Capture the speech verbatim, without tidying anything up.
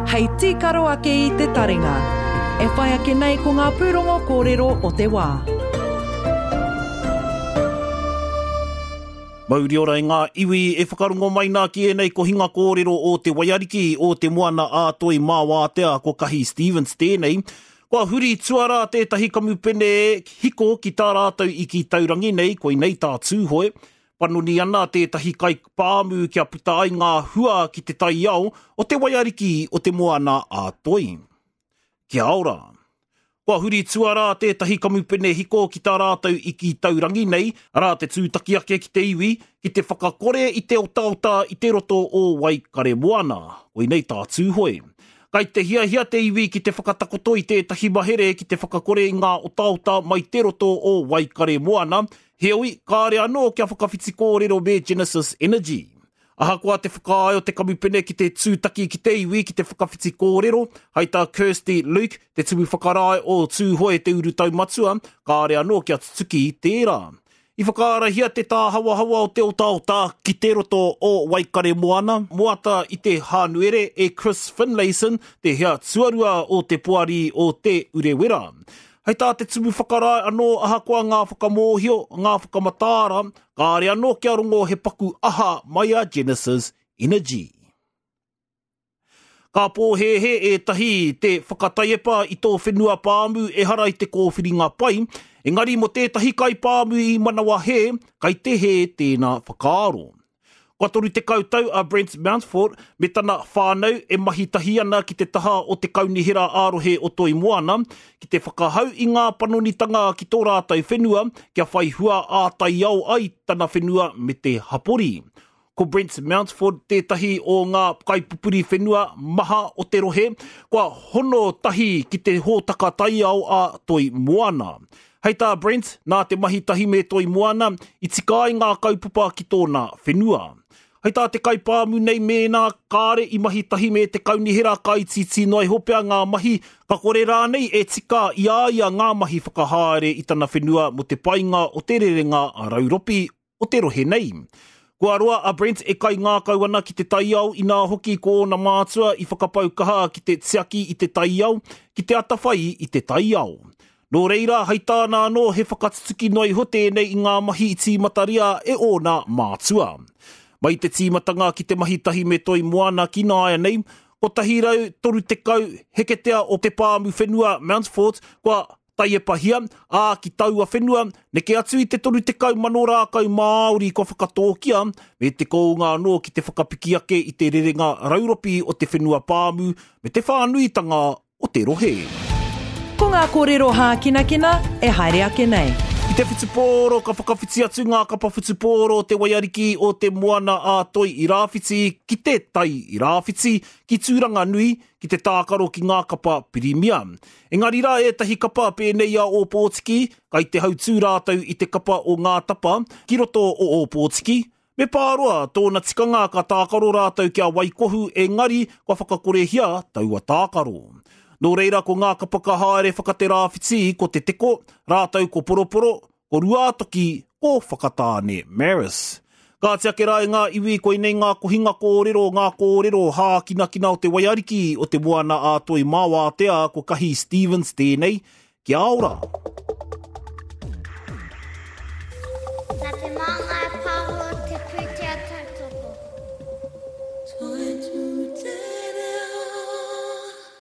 Hei tīkaro ake i te taringa. E whai ake nei ko ngā pūrongo kōrero o te wā. Mauri ora i ngā iwi e whakarongo mai nā ki ēnei kohinga kōrero o te Waiariki o te Moana a Toi Māwātea ko Kahi Stevens tēnei. Kua huri tuarā tētahi kamupene hiko ki tā rātou i ki taurangi nei, koinei tā Tūhoe. Panoni ana tētahi kaipāmu kia puta ai ngā hua ki te taiao o te Waiariki o te Moana a Toi. Kia ora. Kua huri tuarā tētahi kamupene hiko ki tā rātou i ki taurangi nei, arā te tūtaki ake ki te iwi, ki te whakakore i te otaota i te roto o Waikaremoana. Koinei tā Tūhoe. Kai te hiahia te iwi ki te whakatakoto i tētahi mahere ki te whakakore i ngā otaota mai te roto o Waikaremoana, heoi, kāre anō kia whakawhiti kōrero me Genesis Energy. Ahakoa te whakaae o te kamupene ki te tūtaki ki te iwi ki te whakawhiti kōrero, hai tā Kirsty Luke, te tumu whakarae o Tūhoe te uru taumatua, kāre anō kia tutuki tērā. I whakaarahia te tāhawahawa o te otaota ki te roto o Waikaremoana, moata i te Hānuere e Chris Finlayson, te hea tuarua o te poari o te Urewera. Hei tā te tumu whakarae anō ahakoa ngā whakamōhio, ngā whakamataara, kāre anō kia rongo he paku aha mai a Genesis Energy. Ka pōhēhē ētahi te whakataiepa i tō whenua pāmu ehara i te kōwhiringa pai, engari mō tētahi kaipāmu i manawa hē, kai te hē tēnā whakaaro. Kua toru tekau tau a Brent Mountfort me tana whānau e mahi tahi ana ki te taha o te kaunihera ā-rohe o Toi Moana ki te whakahau i ngā panonitanga ki tō rātou whenua kia whai hua ā-taiao ai tana whenua me te hapori. Ko Brent Mountford tētahi o ngā kaipupuri whenua maha o te rohe, kua hono tahi ki te hōtaka taiao a Toi Moana. Hei tā Brent, nā te mahi tahi me Toi Moana, i tika ai ngā kaupapa ki tōna whenua. Hei tā te kaipāmu nei mēnā kāre i mahi tahi me te kaunihera ka itiiti noa iho pea ngā mahi, ka kore rānei e tika i a ia ngā mahi whakahaere i tana whenua mō te painga o te rerenga rauropi o te rohe nei. Kua roa a Brent e kaingākau ana ki te taiao inā hoki ko ōna mātua i whakapau kaha ki te tiaki i te taiao, ki te atawhai i te taiao. Nō reira, hei tāna anō he whakatutuki noa iho tēnei i ngā mahi i tīmataria e ōna mātua. Mai te tīmatanga ki te mahi tahi me Toi Moana ki nāianei, kotahi rau toru tekau heketea o te pāmu whenua Mountfort kua taiepahia, ā ki taua whenua, neke atu i te toru tekau mano rākau Māori kua whakatōkia, me te kounga anō ki te whakapiki ake i te rerenga rauropi o te whenua pāmu me te whānuitanga o te rohe. Ko ngā kōrero hākinakina e haere ake nei. I te whutupōro ka whakawhiti atu ngā kapa whutupōro o te Waiariki o te Moana a Toi i Rāwhiti ki te Tai i Rāwhiti, ki Tūranganui, ki te tākaro ki ngā kapa pirimia. Engari rā ētahi kapa pēnei a Ōpōtiki, kai te hautū rātou i te kapa o Ngā Tapa ki roto o Ōpōtiki. Me Pāroa, tōna tikanga ka tākaro rātou kia Waikohu, engari kua whakakorehia taua tākaro. Nō reira ko ngā kapa ka haere whakaterāwhiti ko Te Teko, rātou ko Poroporo, ko Ruātoki, ko Whakatāne Maris. Ka ake rā i ngā iwi koinei ngā kohinga kōrero, ngā kōrero hākinakina o te Waiariki o te Moana a Toi Māwātea ko Kahi Stevens tēnei. Kia ora! Nā te Māngai